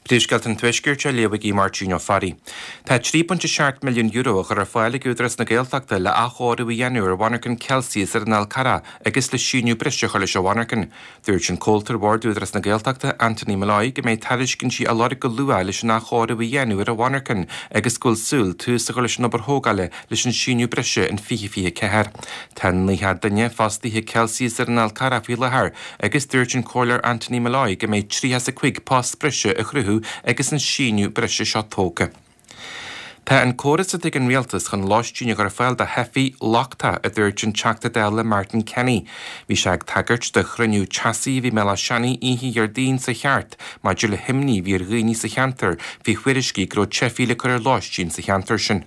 Príomhscéalta an Tuaiscirt á léamh ag Máirtín Ó Fearraigh. Tá €3.7 milliún á chur ar fáil ag Údarás na Gaeltachta le athchóiriú a dhéanamh ar mhonarchan Celsius ar an Fhál Carrach agus le síneadh breise a chur leis an mhonarchan. Dúirt an comhalta ar bhord Údarás na Gaeltachta, Anthony Molloy, go mbeidh tairiscintí á lorg go luath leis an athchóiriú a dhéanamh ar an mhonarchan agus go bhfuil súil tús a chur leis an obair thógála leis an síneadh breise in 2024. Tá 90 duine fostaithe ag Celsius ar an Fhál Carrach faoi láthair Agus dúirt an Comhairleoir Anthony Molloy go mbeidh 35 post breise á chruthú agus an síneadh breise seo tógtha. Tá an córas atá ag an Rialtas chun lóistín a chur ar fáil do theifigh lochtach, a dúirt an Teachta Dála Martin Kenny. Bhí sé ag tagairt do chruinniú teasaí a bhí i mBéal Átha Seanaidh oíche Dhéardaoin sa cheart maidir le himní a bhí ar dhaoine sa cheantar faoi thuairiscí go raibh teifigh le cur ar lóistín sa cheantar sin.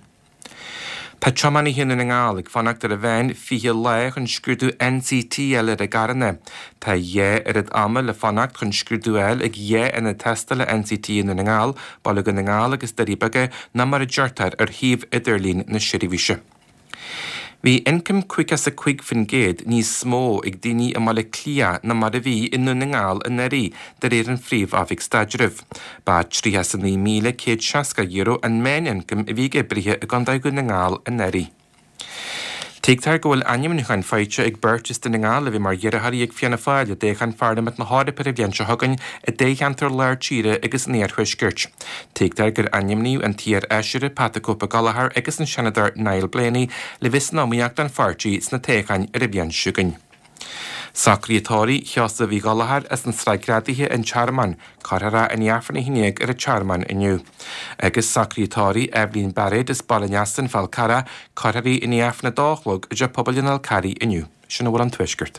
Tá tiománaithe i nDún na nGall ag fanacht ar an mheán 20 lá chun scrúdú NCT a fháil ar a gcarranna. Tá a dhá oiread ama le fanacht chun scrúdú a fháil ag dhá ionad tástála NCT i Ndún na nGall, Baile Dhún na nGall agus Doirí Beaga, ná mar a deirtear ar shuíomh idirlín na seirbhíse. Bhí ioncam 55% níos mó ag daoine i mBaile Átha Cliath ná mar a bhí i nDún na nGall anuraidh, de réir an Phríomh-Oifig Staidrimh. Ba €39,160 an meánioncam a bhí ag oibrithe i gContae Dhún na nGall anuraidh. Tuigtear go bhfuil ainmniúcháin faighte ag beirt as Dún na nGall a bheidh mar iarrthóirí ag Fianna Fáil i dtoghchán Pharlaimint na hEorpa ar an bhliain seo chugainn i dtoghcheantar Lár Tíre agus an Iarthuaiscirt. Tuigtear gur ainmníodh an t-iar-fheisire Pat 'The Cope Gallagher agus an Seanadóir Niall Blaney le bheith san iomaíocht don pháirtí sna toghcháin ar an bhliain seo chugainn. Socruithe tórraimh Sheosaimh Uí Ghallchóir as an Sraith Greadaithe, An Tearmann. Cuirfear é i ndiaidh Aifreann a 11 ar an Tearmann inniu. Agus socruithe tórraimh Eibhlín Bairéad as Baile an Easa, An Fál Carrach, cuirfear í i ndiaidh Aifreann 2 a chlog i dTeach Pobail an Fháil Carraigh inniu. Sin a bhfuil ón Tuaisceart.